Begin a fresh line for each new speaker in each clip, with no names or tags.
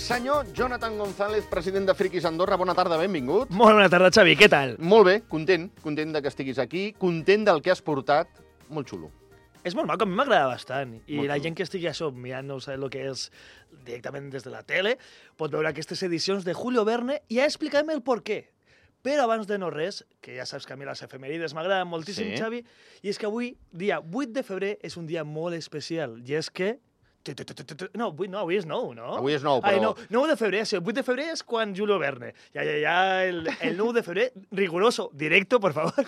Senyor Jonathan González, president de Friquis Andorra, bona tarda, benvingut.
Molt bona tarda, Xavi, què tal?
Molt bé, content de que estiguis aquí, content del que has portat, molt xulo.
És molt maco, a mi m'agrada bastant. I
Molt
la
xulo.
gent que estigui això mirant, no sé el que és directament des de la tele, pot veure aquestes edicions de Julio Verne i ja explicarem el porquè. Però abans de no res, que ja saps que a mi les efemèrides m'agraden moltíssim,
Sí.
Xavi, i és que avui, dia 8 de febrer, és un dia molt especial, i és que... No, avui és 9, no?
Avui és 9,
Ai,
però...
no, 9 de febrer, sí, el 8 de febrer és quan Julio Verne. El 9 de febrer, riguroso, directo, por favor,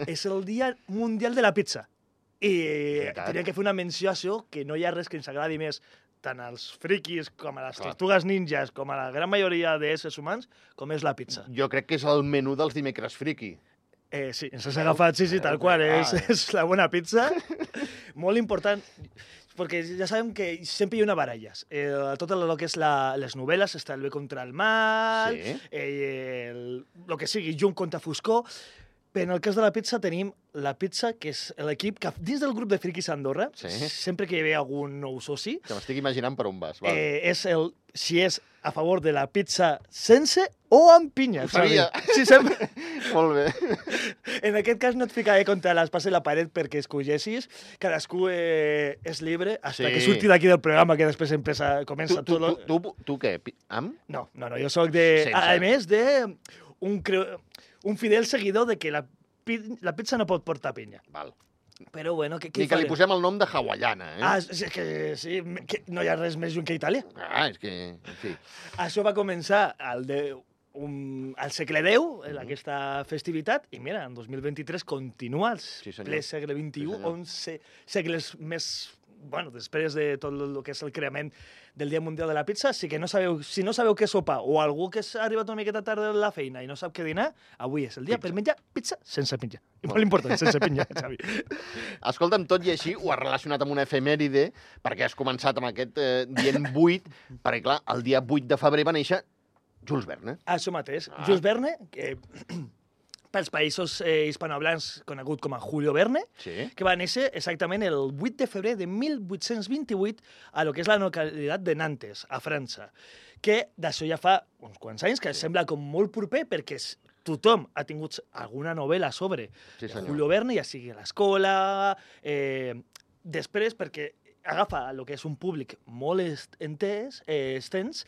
és el Dia Mundial de la Pizza. I
Veritat.
tenia que fer una menció a això, que no hi ha res que ens agradi més tant als friquis com a les
Clar.
tortugues ninjas, com a la gran majoria d'éssers humans, com és la pizza.
Jo crec que és el menú dels dimecres friki.
Sí, ens has agafat, sí, tal qual, és la bona pizza. Molt important, perquè ja sabem que sempre hi ha una baralles. Tot el que és les novel·les està el bé contra el mal,
Sí.
el que sigui, llum contra foscor, però en el cas de la pizza tenim la pizza, que és l'equip que dins del grup de Friquis Andorra,
Sí.
sempre que hi ha algun nou soci,
Que m'estic imaginant per on vas. Vale.
és si és a favor de la pizza sense o amb pinya.
Ho sabia.
Xavi. Sí, sempre.
Molt bé.
En aquest cas no et ficaré contra l'espasa i la paret perquè escollissis. Cadascú és libre fins
Sí.
que surti d'aquí del programa, que després comença
Tu
tot...
tu què? Amb?
No, jo sóc de...
Sense.
A més un fidel seguidor de que la pizza no pot portar pinya.
Val.
Però bueno, què
Ni que li posem el nom de hawaiana, eh?
És que sí, que no hi ha res més lluny que Itàlia.
És que... En fi.
Això va començar al segle X, aquesta festivitat, i mira, en 2023 continua al
senyor.
ple segle XXI,
Sí, senyor.
11 segles més, bueno, després de tot el que és el creament del Dia Mundial de la Pizza, si no sabeu què sopar, o algú que s'ha arribat una miqueta tard de la feina i no sap què dinar, avui és el dia per menjar pizza sense pinya. I molt important, sense pinya, Xavi.
Escolta'm, tot i així, ho has relacionat amb una efemèride, perquè has començat amb aquest dient 8, perquè, clar, el dia 8 de febrer va néixer Jules Verne.
Això mateix. Jules Verne, que pels països hispanohablants conegut com a Julio Verne,
Sí.
que va néixer exactament el 8 de febrer de 1828 a lo que és la localitat de Nantes, a França, que d'això ja fa uns quants anys, que sembla com molt proper perquè tothom ha tingut alguna novel·la sobre
Sí, senyor.
Julio Verne, ja sigui a l'escola, després perquè agafa el que és un públic molt extens,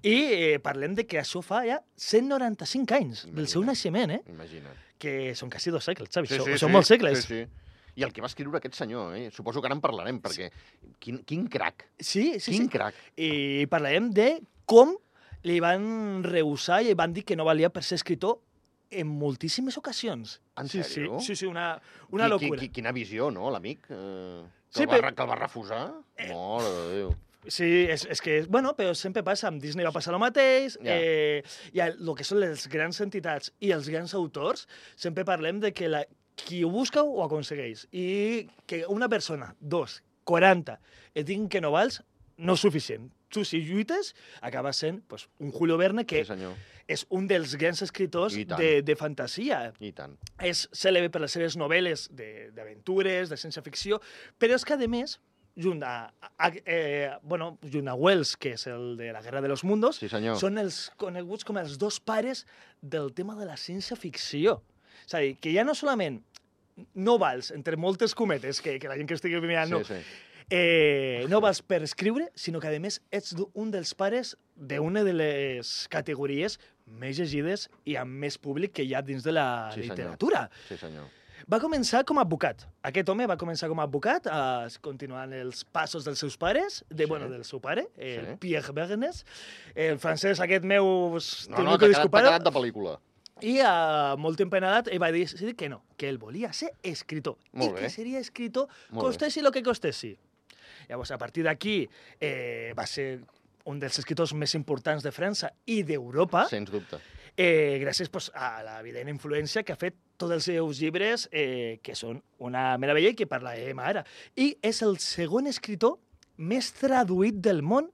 i parlem de que això fa ja 195 anys del seu
Imagina't.
naixement,
Imagina't.
que són quasi 2 segles, Xavi.
Sí,
Són molts segles.
Sí, sí. I el que va escriure aquest senyor, suposo que ara en parlarem, perquè quin crac,
Sí.
quin crac.
I parlarem de com li van rehusar i van dir que no valia per ser escritor en moltíssimes ocasions.
En
Sí,
sèrio?
Sí, una locura.
Quina visió, no, l'amic? Que
Sí,
el va refusar? Mare de Déu.
Sí, és que, bueno, però sempre passa, amb Disney va passar el mateix,
Ja.
i el que són les grans entitats i els grans autors, sempre parlem de que qui ho busca ho aconsegueix, i que una persona, 40, et diguin que no vals, no és suficient. Tu, si lluites, acaba sent pues, un Julio Verne que
Sí, senyor.
és un dels grans escriptors
I tant.
de fantasia.
I tant.
És cèlebre per les seves novel·les d'aventures, de ciència-ficció, però és que, a més, junt a Wells, que és el de la Guerra de los Mundos,
Sí, senyor.
són els coneguts com els dos pares del tema de la ciència-ficció. És a dir, que ja no solament no vals, entre moltes cometes, que la gent que estigui mirant, no,
Sí.
no vals per escriure, sinó que, a més, ets un dels pares d'una de les categories més llegides i amb més públic que hi ha dins de la
Sí, senyor.
literatura.
Sí, senyor.
Va començar com a advocat. Aquest home va començar com a advocat, continuant els passos dels seus pares, del seu pare, el Pierre Bergnes. El francès aquest meu...
No, t'ha quedat de pel·lícula.
I a molt empenat ell va decidir que no, que ell volia ser escritor.
Molt
I
bé.
que seria escritor
Molt bé.
costessi el que costessi. Llavors, a partir d'aquí, va ser un dels escriptors més importants de França i d'Europa,
Sens dubte.
gràcies a l'evident influència que ha fet tots els seus llibres, que són una meravella i que parlarem ara. I és el segon escritor més traduït del món,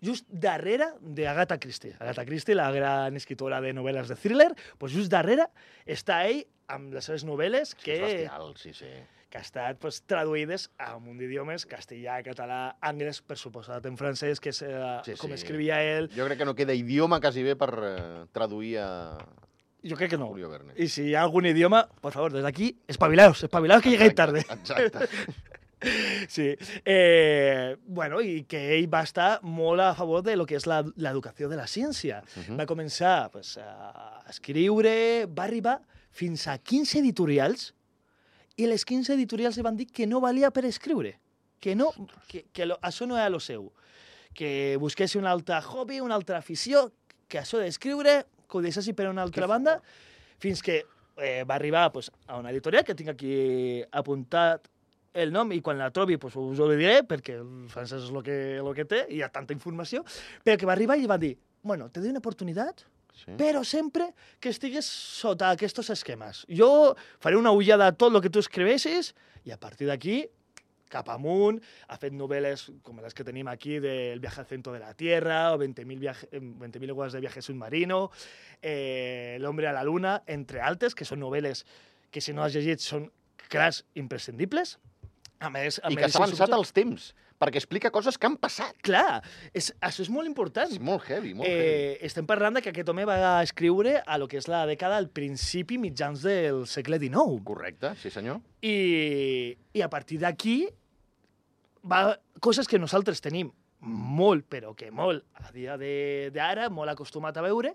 just darrere d'Agatha Christie. Agatha Christie, la gran escritora de novel·les de thriller, doncs just darrere està ell amb les seves novel·les
Sí, és bestial, sí.
que ha estat pues, traduïdes a un munt d'idiomes, castellà, català, anglès, per suposat en francès, que és com escrivia ell.
Jo crec que no queda idioma quasi bé per traduir a
Jo crec que no.
Julio Verne.
I si hi ha algun idioma, por favor, des d'aquí, espavilaos que llegueu tarde.
Exacte.
Sí. Bueno, i que ell va estar molt a favor de lo que és l'educació de la ciència. Va començar pues, a escriure, va arribar fins a 15 editorials i les 15 editorials li van dir que no valia per escriure, que això no era lo seu, que busqués un altre hobby, una altra afició, que això d'escriure, que ho deixessi per una altra banda, fins que va arribar pues, a una editorial, que tinc aquí apuntat el nom, i quan la trobi pues, us ho diré, perquè el francès és el que té, i hi ha tanta informació, però que va arribar i li va dir, bueno, te doy una oportunitat, però sempre que estigues sota aquests esquemes. Jo faré una ullada a tot el que tu escrivessis, i a partir d'aquí, cap amunt, ha fet novel·les com les que tenim aquí, del viaje al centro de la Tierra, o 20.000 leguas de viaje submarino, El hombre a la luna, entre altres, que són novel·les que si no has llegit són clars imprescindibles. A més,
I que s'ha avançat als temps, perquè explica coses que han passat.
Clar, això és molt important.
És molt heavy, molt heavy.
Estem parlant que aquest home va escriure a lo que és la dècada al principi, mitjans del segle XIX.
Correcte, sí senyor.
I a partir d'aquí, coses que nosaltres tenim molt, però que molt, a dia d'ara, molt acostumat a veure,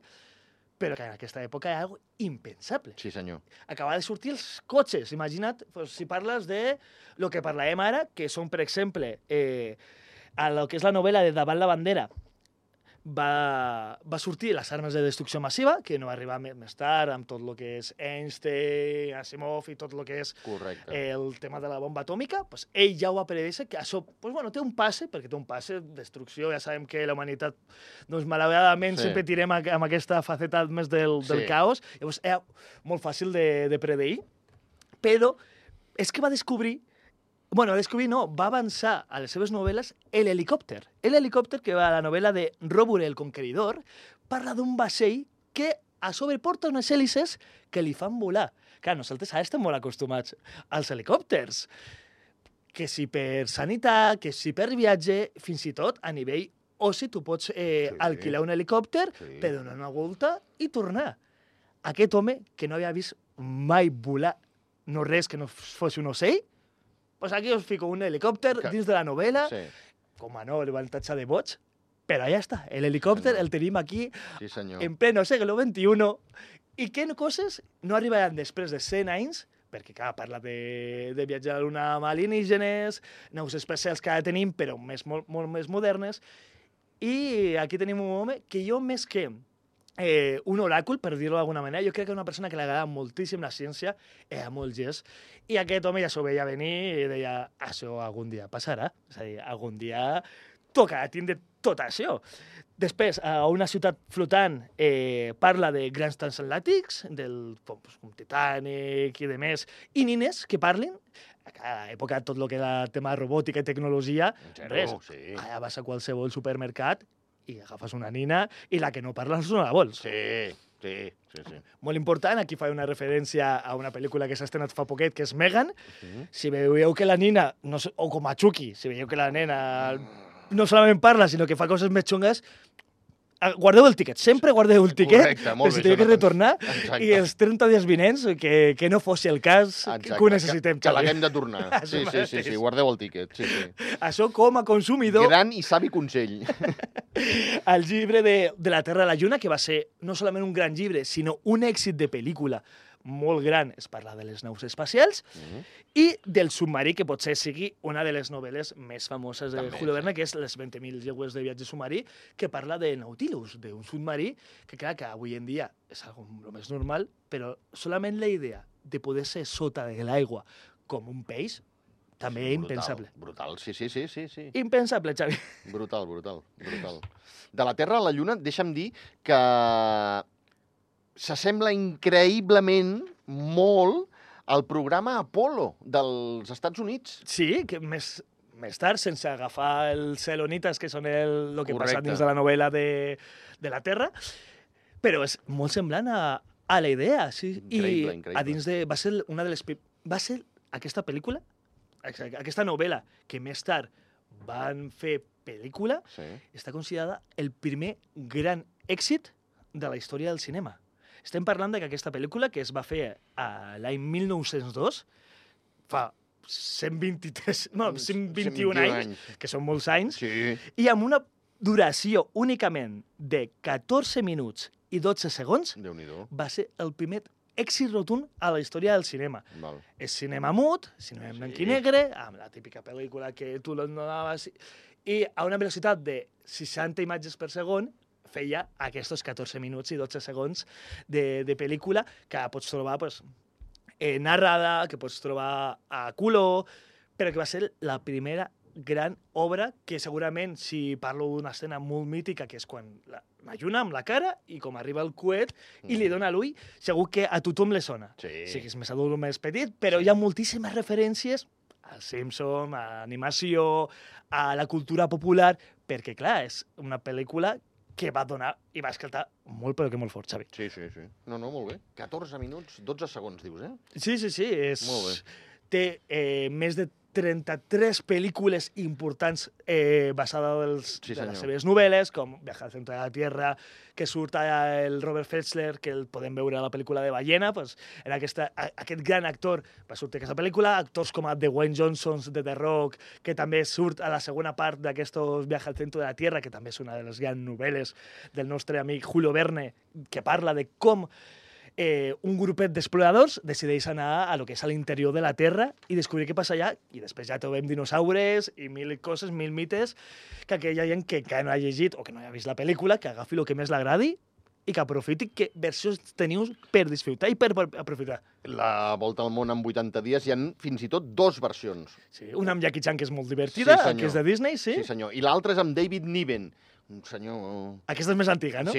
però que en aquesta època era algo impensable.
Sí, senyor.
Acaba de sortir els cotxes. Imagina't, pues, si parles de lo que parlàvem ara, que són, per exemple, a lo que és la novel·la de Davant la bandera, va sortir les armes de destrucció massiva, que no va arribar més tard, amb tot el que és Einstein, Asimov i tot el que és el tema de la bomba atòmica, pues, ell ja ho va predèixer, que això pues, bueno, té un passe, perquè té un passe, destrucció, ja sabem que la humanitat, doncs, malauradament, sempre tirem amb aquesta faceta més del caos, llavors era molt fàcil de predeir, però és que va descobrir va avançar a les seves novel·les l'helicòpter. L'helicòpter, que va a la novel·la de Róbure el Conqueridor, parla d'un vaixell que a sobre porta unes hèlices que li fan volar. Clar, nosaltres ara estem molt acostumats als helicòpters. Que si per sanitat, que si per viatge, fins i tot a nivell oci, tu pots alquilar un helicòpter per donar una volta i tornar. Aquest home, que no havia vist mai volar no res que no fos un ocell, pues aquí us fico un helicòpter dins de la novel·la, com a no, el van tatxar de boig, però ja està, l'helicòpter el tenim aquí en pleno segle XXI, i que coses no arribaran després de 100 anys, perquè clar, parla de viatjar a la Luna amb alienígenes, naus espacials que ara tenim, però molt més modernes, i aquí tenim un home que jo més que un oràcul, per dir-ho d'alguna manera. Jo crec que una persona que li agrada moltíssim la ciència, era molt gest, i aquest home ja s'ho veia venir i deia, això algun dia passarà, és a dir, algun dia tocarà tindre tot això. Després, a una ciutat flotant, parla de grans transatlàntics, com Titanic i demés, i nines que parlin. A cada època, tot el que era tema robòtica i tecnologia, res. Ara vas a qualsevol supermercat i agafes una nina i la que no parla no la vols.
Sí.
Molt important, aquí fa una referència a una pel·lícula que s'ha estrenat fa poquet, que és Megan. Si veieu que la nina, o com a Chucky, si veieu que la nena no solament parla, sinó que fa coses més xungues, guardeu el tiquet, sempre guardeu el tiquet, per si teniu que retornar, i els 30 dies vinents, que no fos el cas, que ho necessitem.
Que l'haguem de tornar. Sí, guardeu el tiquet.
Això com a consumidor...
Gran i savi consell.
El llibre de la Terra a la Lluna, que va ser no solament un gran llibre, sinó un èxit de pel·lícula molt gran, es parla de les naus espacials, i del submarí, que potser sigui una de les novel·les més famoses de Julio Verne, que és Les 20.000 llegües de viatge submarí, que parla de Nautilus, d'un submarí, que clar, que avui en dia és algo més normal, però solament la idea de poder ser sota de l'aigua com un peix, també impensable.
Brutal, sí.
Impensable, Xavi.
Brutal. De la Terra a la Lluna, deixa'm dir que s'assembla increïblement molt al programa Apollo dels Estats Units.
Sí, que més tard, sense agafar els selonites, que són el que passa dins de la novel·la de la Terra, però és molt semblant a la idea. Sí.
Increïble.
A dins va ser una de les... Va ser aquesta pel·lícula, aquesta novel·la, que més tard van fer pel·lícula, està considerada el primer gran èxit de la història del cinema. Estem parlant que aquesta pel·lícula, que es va fer l'any 1902, fa 121 anys, que són molts anys, i amb una duració únicament de 14 minuts i 12 segons, va ser el primer èxit rotund a la història del cinema. És cinema mut, cinema en blanc i negre, amb la típica pel·lícula que tu l'anaves... I a una velocitat de 60 imatges per segon feia aquests 14 minuts i 12 segons de pel·lícula que pots trobar narrada, que pots trobar a color, però que va ser la primera gran obra que segurament, si parlo d'una escena molt mítica, que és quan la lluna amb la cara i com arriba el coet i li dona l'ull, segur que a tothom li sona. Sí que és més adult o més petit, però hi ha moltíssimes referències al Simpson, a l'animació, a la cultura popular, perquè, clar, és una pel·lícula que va donar i va escaltar molt, però que molt fort, Xavi.
Sí. No, molt bé. 14 minuts, 12 segons, dius, eh?
Sí.
Molt bé.
Té més de 33 pel·lícules importants basades de les seves novel·les, com Viaje al centre de la Tierra, que surt el Robert Fletzler, que el podem veure a la pel·lícula de Ballena, en aquest gran actor va sortir aquesta pel·lícula, actors com The Dwayne Johnson de The Rock, que també surt a la segona part d'aquestos Viaje al centre de la Tierra, que també és una de les grans novel·les del nostre amic Julio Verne, que parla de com un grupet d'exploradors decideix anar a lo que és a l'interior de la Terra i descobrir què passa allà, i després ja trobem dinosaures i mil coses, mil mites, que aquella gent que encara no ha llegit o que no ha vist la pel·lícula, que agafi el que més l'agradi i que aprofiti que versions teniu per disfrutar i per aprofitar.
La Volta al món en 80 dies hi ha fins i tot 2 versions.
Sí, una amb Jackie Chan, que és molt divertida, que és de Disney, sí.
Sí, senyor. I l'altra és amb David Niven, un senyor...
Aquesta és més antiga, no?
Sí,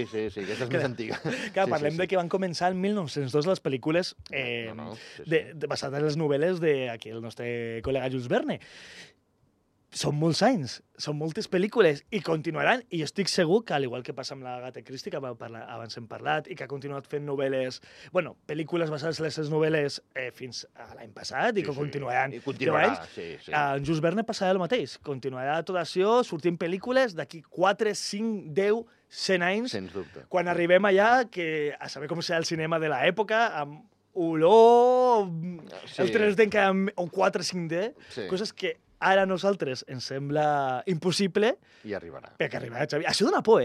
aquesta és més antiga.
Clar, parlem de que van començar el 1902 les pel·lícules basades en les novel·les d'aquí el nostre col·lega Jules Verne. Són molts anys, són moltes pel·lícules i continuaran, i jo estic segur que, al igual que passa amb la Agatha Christie, que abans hem parlat, i que ha continuat fent novel·les, pel·lícules basades en les seves novel·les fins a l'any passat, i que continuaran.
I continuarà, sí.
En Jules Verne passarà el mateix. Continuarà tot això, sortint pel·lícules d'aquí 4, 5, 10, 100 anys.
Sens dubte.
Quan arribem allà, a saber com serà el cinema de l'època, amb olor, el 3D encara amb 4, 5D, coses que ara a nosaltres ens sembla impossible.
I arribarà.
Perquè arribarà, Xavi. Això dona por,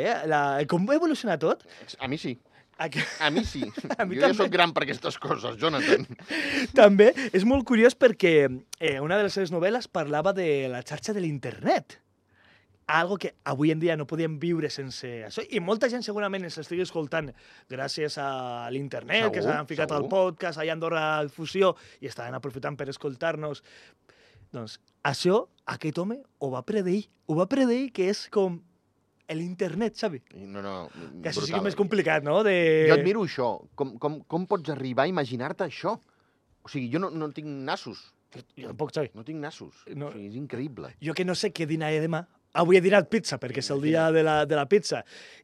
com va evolucionar tot.
A mi sí. A mi sí. Jo ja soc gran per aquestes coses, Jonathan.
També és molt curiós perquè una de les seves novel·les parlava de la xarxa de l'internet. Algo que avui en dia no podíem viure sense això. I molta gent segurament ens estigui escoltant gràcies a l'internet, que s'han ficat al podcast, allà a Andorra Fusió, i estaven aprofitant per escoltar-nos. Doncs això, aquest home ho va predir que és com l'internet, Xavi.
No,
que això sí que és més complicat, no?
Jo admiro això. Com pots arribar a imaginar-te això? O sigui, jo no tinc nassos.
Jo tampoc, Xavi.
No tinc nassos. O sigui, és increïble.
Jo que no sé què dinaré demà. Avui he dinat pizza, perquè és el dia de la pizza.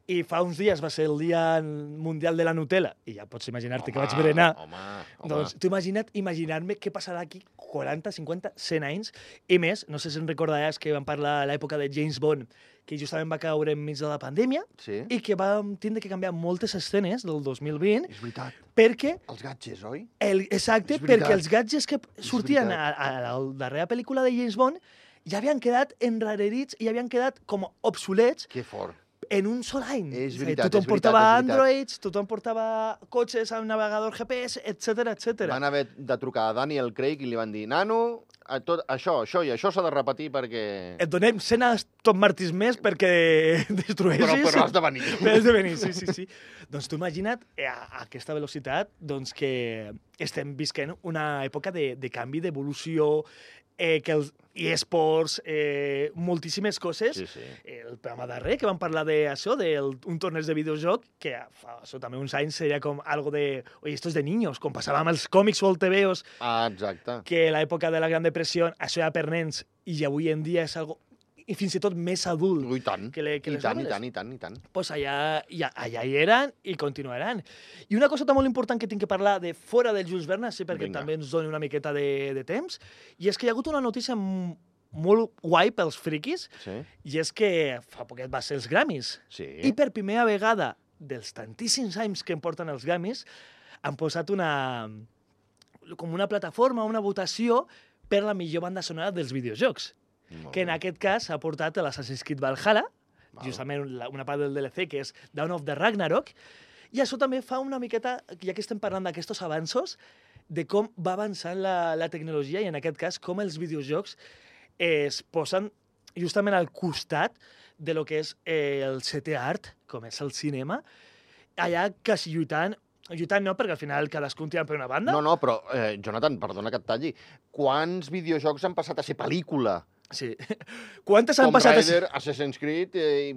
I fa uns dies va ser el dia mundial de la Nutella. I ja pots imaginar-te que vaig berenar.
Home.
Doncs tu imaginar-me què passarà aquí 40, 50, 100 anys. I més, no sé si en recordaràs que vam parlar a l'època de James Bond, que justament va caure enmig de la pandèmia i que vam tindre que canviar moltes escenes del 2020.
És veritat.
Perquè...
Els gadgets, oi?
Exacte, perquè els gadgets que sortien a la darrera pel·lícula de James Bond ja havien quedat enrarerits i havien quedat com obsolets.
Que fort.
En un sol any.
És veritat,
tothom portava Androids, tothom portava cotxes amb navegador GPS, etc.
Van haver de trucar a Daniel Craig i li van dir, nano, això i això s'ha de repetir perquè...
Et donem 100 Aston Martins més perquè destrueixis.
Però has de venir.
Has de venir, sí. Doncs tu imagina't a aquesta velocitat que estem visquent una època de canvi, d'evolució, que els eSports, moltíssimes coses.
Sí.
El programa darrer, que vam parlar d'això, d'un torneig de videojoc, que fa també uns anys seria com algo de... Oye, esto es de niños, com passava amb els còmics o el TVOs.
Exacte.
Que a l'època de la Gran Depressió això era per nens i avui en dia és algo i fins i tot més adult
I tant,
que les
i tant,
novel·les.
i tant.
Pues allà hi eren i continuaran. I una cosa molt important que tinc que parlar de fora del Jules Verne, sí, perquè
Vinga.
també ens doni una miqueta de temps, i és que hi ha hagut una notícia molt guai pels friquis,
Sí,
i és que fa poquet va ser els Grammys.
sí.
I per primera vegada dels tantíssims anys que em porten els Grammys, han posat com una plataforma, una votació per la millor banda sonora dels videojocs,
Molt
que en
bé.
aquest cas ha portat l'Assassin's Creed Valhalla,
Val.
justament una part del DLC, que és Dawn of the Ragnarok, i això també fa una miqueta, ja que estem parlant d'aquests avanços, de com va avançant la tecnologia i, en aquest cas, com els videojocs es posen justament al costat de lo que és el setè art, com és el cinema, allà quasi lluitant no, perquè al final cadascun tira per una banda.
No, però, Jonathan, perdona que et talli. Quants videojocs han passat a ser pel·lícula?
Sí. Quantes han
Tomb
passat...
Raider, Assassin's Creed,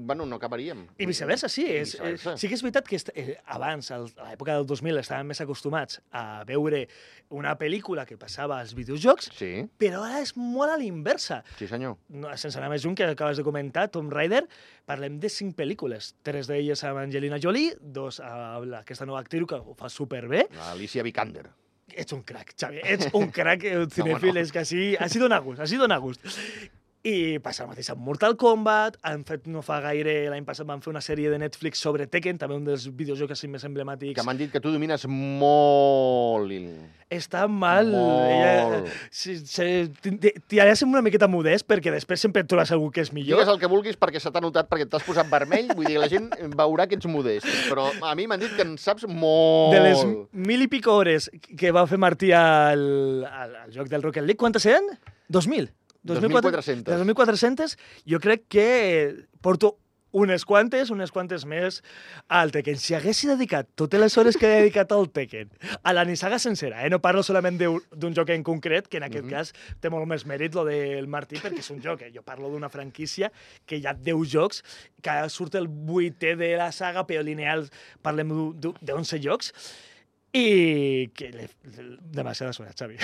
bueno, no acabaríem.
I viceversa, sí.
I viceversa.
Sí que és veritat que abans, a l'època del 2000, estàvem més acostumats a veure una pel·lícula que passava als videojocs,
Sí,
però ara és molt a l'inversa.
sí senyor.
No, sense anar més lluny, que acabes de comentar, Tomb Raider, parlem de 5 pel·lícules. 3 d'elles amb Angelina Jolie, 2 amb aquesta nova actriu que ho fa superbé.
Alicia Vikander.
Ets un crac, Xavi, ets un crac cinèfil,
no.
és que així dona gust. I passa el mateix amb Mortal Kombat, han fet no fa gaire, l'any passat van fer una sèrie de Netflix sobre Tekken, també un dels videojocs així més emblemàtics.
Que m'han dit que tu domines molt.
Està mal.
Molt.
T'hi ser una miqueta modest, perquè després sempre et trobes algú que és millor.
Digues el que vulguis perquè se t'ha notat, perquè t'has posat vermell, vull dir, la gent veurà que ets modest. Però a mi m'han dit que en saps molt.
De les 1000 i pico hores que va fer Martí al joc del Rocket League, quantes eren? 2.000.
2.400.
2.400. Jo crec que porto unes quantes més al Tekken. Si haguessi dedicat totes les hores que he dedicat al Tekken, a la nissaga sencera, no parlo solament d'un joc en concret, que en aquest cas té molt més mèrit lo del Martí, perquè és un joc, jo parlo d'una franquícia que hi ha 10 jocs, que ara surt el 8è de la saga, però lineal parlem d'11 jocs, i que demasiada hores, Xavi.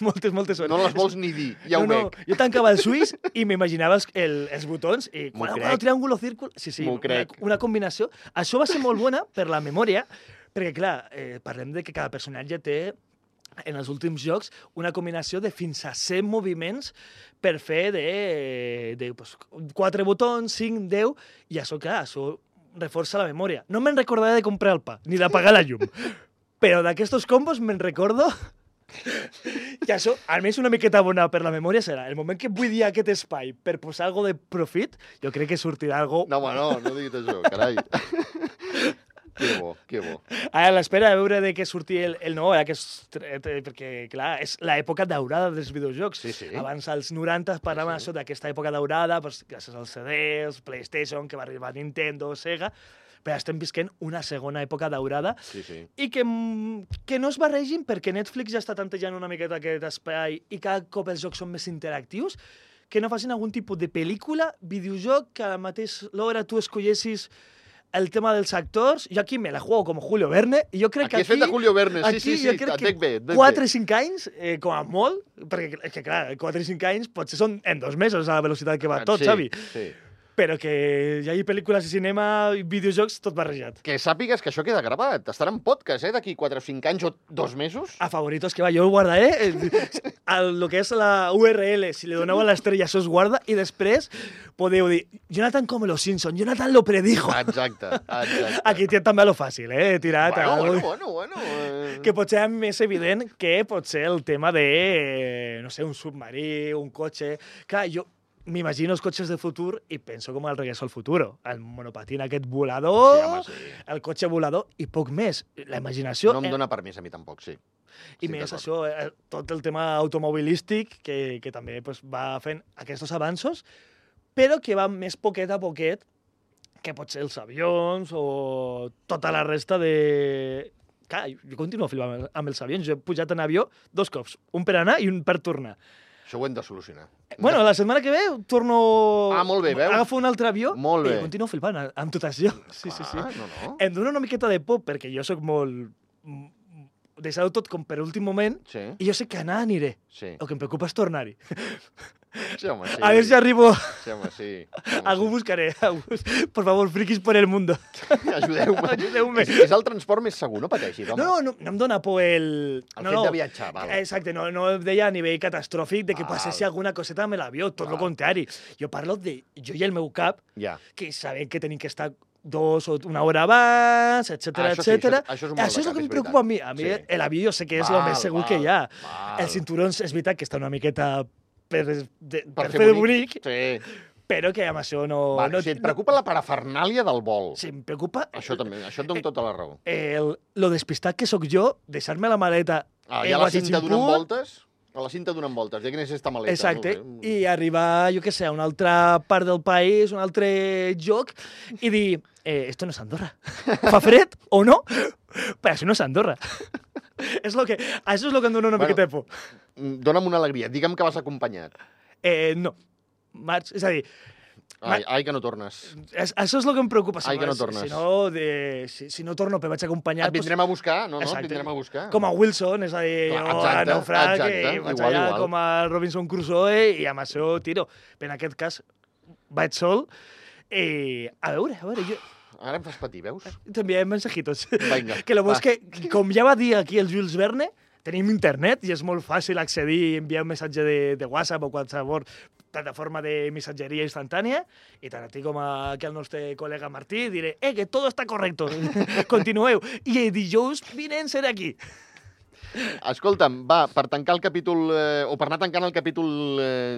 moltes hores.
No les vols ni dir, ja ho veig.
Jo tancava els ulls i m'imaginava els botons i
M'ho
quadrado,
crec.
triàngulo, círcul... Sí,
M'ho crec.
una combinació. Això va ser molt bona per la memòria, perquè, clar, parlem de que cada personatge té, en els últims jocs, una combinació de fins a 100 moviments per fer de 4 botons, 5, 10, i això, clar, això reforça la memòria. No me'n recordaré de comprar el pa, ni d'apagar la llum. Però d'aquestos combos me'n recordo i això, almenys una miqueta bona per la memòria serà. El moment que buidi aquest espai per posar alguna de profit, jo crec que sortirà algo...
No, home, no diguis això, carai. Que bo.
A l'espera de veure de què surti el nou, perquè, clar, és l'època daurada dels videojocs.
Sí.
Abans, als 90, parlàvem això d'aquesta època daurada, doncs, gràcies als CDs, PlayStation, que va arribar Nintendo, Sega, però estem visquent una segona època daurada
Sí.
i que no es barregin, perquè Netflix ja està tantejant una miqueta aquest espai i cada cop els jocs són més interactius, que no facin algun tipus de pel·lícula, videojoc, que a la mateixa l'hora tu escollessis el tema dels actors. Jo aquí me la juego com Julio Verne, i jo crec
Aquí
que
és fet de Julio Verne, sí,
jo crec
et
que
veig bé, et veig
4 o 5 anys, com a molt, perquè és que, clar, 4 o 5 anys potser són en 2 mesos a la velocitat que va tot, Xavi.
Sí.
Però que hi hagi pel·lícules i cinema i videojocs, tot barrejat.
Que sàpigues que això queda gravat. Estarà en podcast, d'aquí 4 o 5 anys o 2 mesos.
A favoritos que va, jo ho guardaré. El que és la URL, si li doneu a l'estrella, això es guarda, i després podeu dir, Jonathan com los Simpson, Jonathan lo predijo.
Exacte.
Aquí té també lo fàcil, tirat.
Bueno.
Que potser és més evident que potser el tema de, no sé, un submarí, un cotxe... Clar, jo m'imagino els cotxes de futur i penso com el Regreso al Futuro. El monopatín aquest volador,
Sí, home, sí.
el cotxe volador i poc més. La imaginació...
No em dóna permís a mi tampoc, sí.
I més això, tot el tema automobilístic, que també pues, va fent aquests avanços, però que va més poquet a poquet que potser els avions o tota la resta de... Clar, jo continuo flipant amb els avions. Jo he pujat en avió 2 cops, un per anar i un per tornar.
Això ho hem de solucionar.
Bueno, la setmana que ve torno...
Ah, molt bé, veus?
Agafo un altre avió
Molt bé.
i continuo flipant amb tot això. Sí.
No.
Em dona una miqueta de por, perquè jo sóc molt... Deixar-ho tot com per últim moment,
Sí.
i jo sé que anar aniré.
Sí.
El que em preocupa és tornar-hi.
Sí, home, sí.
A ver si arribo.
Sí, home, sí.
Algú buscaré. Por favor, friquis por el mundo.
Ajudeu-me.
Ajudeu-me.
És el transport més segur, no pateixis, home.
No em dona por el...
El fet de viatjar, val.
Exacte, no deia a nivell catastròfic de que passessi alguna coseta amb l'avió, tot el contrari. Jo parlo de jo i el meu cap,
Ja.
que sabem que tenim que estar 2 o 1 hora abans, etcètera,
Això sí,
etcètera.
això és un
Això és el que em preocupa a mi. A mi l'avió jo sé que és el més segur que hi ha. Els cinturons és veritat que està una miqueta per fer de bonic,
Sí.
però que amb això no...
Vale, o sigui, et preocupa la parafernàlia del vol.
Sí, em preocupa
Això també, això et dono tota la raó.
lo despistat que sóc jo, deixar-me la maleta
I a la cinta donant voltes? A la cinta donant voltes, ja quina és esta maleta.
Exacte, i arribar, jo què sé, a una altra part del país, un altre lloc, i dir, esto no és Andorra. Fa fred o no? Però això no és Andorra. Això és el que em dona una miqueta de por.
Dóna'm una alegria, digue'm que vas acompanyat.
No. Marx, és a dir,
Ai, que no tornes.
això és el que em preocupa.
Ai, que no tornes.
Si no torno, però vaig acompanyat...
Et vindrem a buscar, no? Et vindrem a buscar.
Com a Wilson, és a dir, a naufrag, vaig allà com a Robinson Crusoe i amb això tiro. Però en aquest cas vaig sol. A veure, jo...
Ara em fas patir, veus?
T'enviarem mensajitos.
Vinga,
Que lo bo és que, com ja va dir aquí el Jules Verne, tenim internet i és molt fàcil accedir i enviar un missatge de WhatsApp o qualsevol plataforma de missatgeria instantània, i tant a ti com aquí al nostre col·lega Martí diré que tot està correcte, continueu. I dijous vinent seré aquí.
Escolta'm, va, per tancar el capítol, o per anar tancant el capítol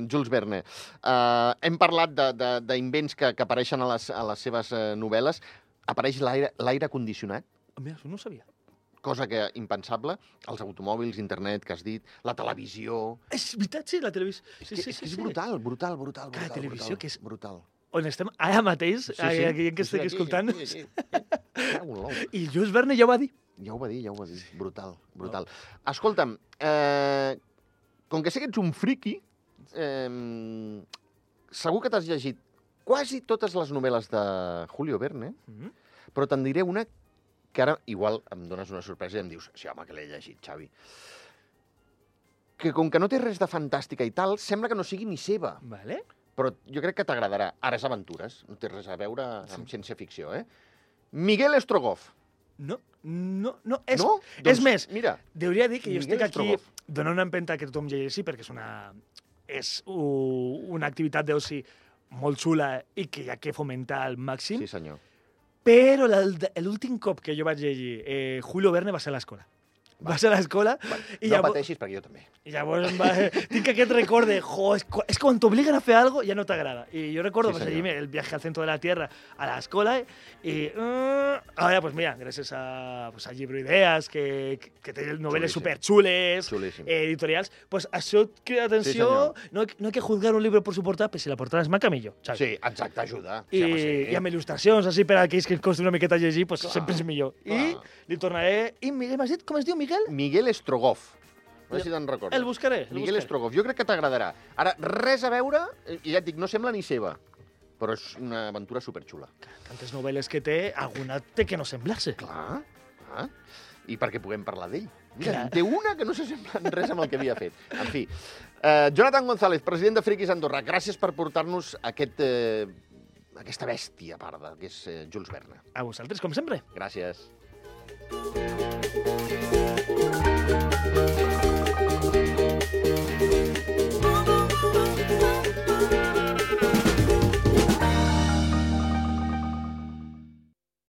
Jules Verne, hem parlat d'invents que apareixen a les seves novel·les. Apareix l'aire condicionat,
Mira, això no ho sabia.
cosa que impensable, els automòbils, internet, que has dit, la televisió...
És veritat, sí, la televisió.
És brutal.
La televisió, que és...
brutal.
On estem ara mateix, aquí que estic escoltant. I Jules Verne ja ho va dir.
Ja ho va dir. Brutal. Escolta'm, com que sé que ets un friqui, segur que t'has llegit quasi totes les novel·les de Julio Verne, però te'n diré una que ara igual em dones una sorpresa i em dius, sí, home, que l'he llegit, Xavi. Que com que no té res de fantàstica i tal, sembla que no sigui ni seva.
Vale.
Però jo crec que t'agradarà. Ara és aventures, no té res a veure amb ciència-ficció, Miguel Strogoff.
No. És
No?
És més,
mira,
hauria de dir que jo
Miguel
estic aquí
Strogoff.
donant una empenta que tothom llegeixi, perquè és una activitat d'oci molt xula i que hi ha que fomentar al màxim.
Sí, senyor.
Però l'últim cop que jo vaig llegir Julio Verne va ser a l'escola. Va ser a l'escola i
No pateixis, perquè jo també.
i llavors tinc aquest record de, és quan t'obliguen a fer algo ja no t'agrada. I jo recordo
Sí,
seguir el viaje al centro de la Tierra a l'escola i ara, pues mira, gràcies a Llibro Idees, que té novel·les superxules, editorials, pues això et crida atenció. No hay que juzgar un libro por su portada, però si la portada és maca, millor.
Sí, exacte, ajuda.
I amb il·lustracions, així, per a aquells que ens costa una miqueta llegir, pues sempre és millor. I li tornaré... I Miguel, m'has dit com es diu, Miguel?
Miguel Strogoff. A veure si te'n recordes.
El buscaré.
Miguel Strogoff. Jo crec que t'agradarà. Ara, res a veure, i ja et dic, no sembla ni seva, però és una aventura superxula.
Tantes novel·les que té, alguna té que no semblar-se.
Clar. I perquè puguem parlar d'ell. Mira, té una que no s'assembla en res amb el que havia fet. En fi. Jonathan González, president de Friquis Andorra, gràcies per portar-nos aquesta bèstia parda, que és Jules Verne.
A vosaltres, com sempre.
Gràcies.